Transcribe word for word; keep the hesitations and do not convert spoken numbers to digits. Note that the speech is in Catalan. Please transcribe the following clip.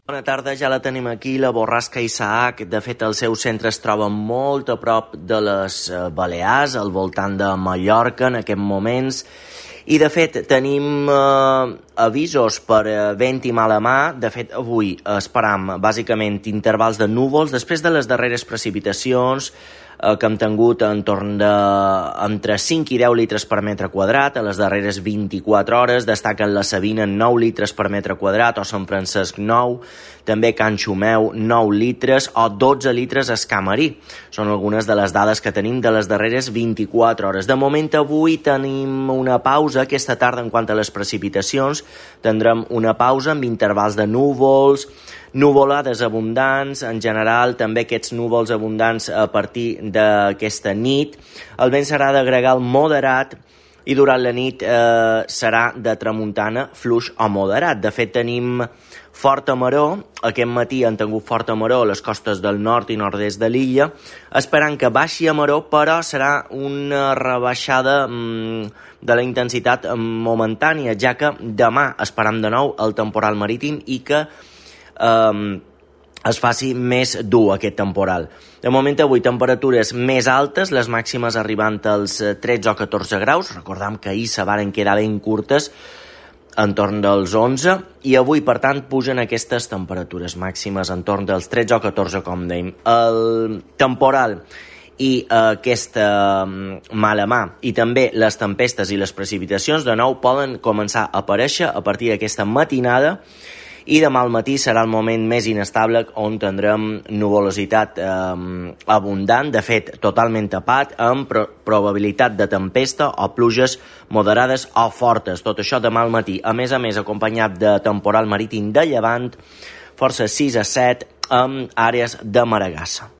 Bona tarda, ja la tenim aquí, la borrasca Isaac. De fet, el seu centre es troba molt a prop de les Balears, al voltant de Mallorca en aquests moments. I, de fet, tenim eh, avisos per eh, vent i mala mà. De fet, avui esperam, bàsicament, intervals de núvols després de les darreres precipitacions eh, que hem tingut entorn de entre cinc i deu litres per metre quadrat a les darreres vint-i-quatre hores. Destaquen la Sabina nou litres per metre quadrat, o Sant Francesc nou, també Can Xumeu nou litres o dotze litres a Escamarí. Són algunes de les dades que tenim de les darreres vint-i-quatre hores. De moment, avui tenim una pausa. Aquesta tarda, en quant a les precipitacions, tindrem una pausa amb intervals de núvols, nuvolades abundants, en general també aquests núvols abundants a partir d'aquesta nit. El vent serà de gregal moderat i durant la nit eh, serà de tramuntana fluix o moderat. De fet, tenim forta maror. Aquest matí han tingut forta maror a les costes del nord i nord-est de l'illa, esperant que baixi a maror, però serà una rebaixada mmm, de la intensitat momentània, ja que demà esperam de nou el temporal marítim i que eh, es faci més dur aquest temporal. De moment, avui, temperatures més altes, les màximes arribant als tretze o catorze graus. Recordam que ahir se varen quedar ben curtes, entorn dels onze, i avui, per tant, pugen aquestes temperatures màximes entorn dels tretze o catorze, com dèiem. El temporal i eh, aquesta mala mà i també les tempestes i les precipitacions de nou poden començar a aparèixer a partir d'aquesta matinada, i demà al matí serà el moment més inestable, on tindrem nuvolositat eh, abundant, de fet totalment tapat, amb pro probabilitat de tempesta o pluges moderades o fortes. Tot això demà al matí, a més a més acompanyat de temporal marítim de llevant, força sis a set, amb àrees de maregassa.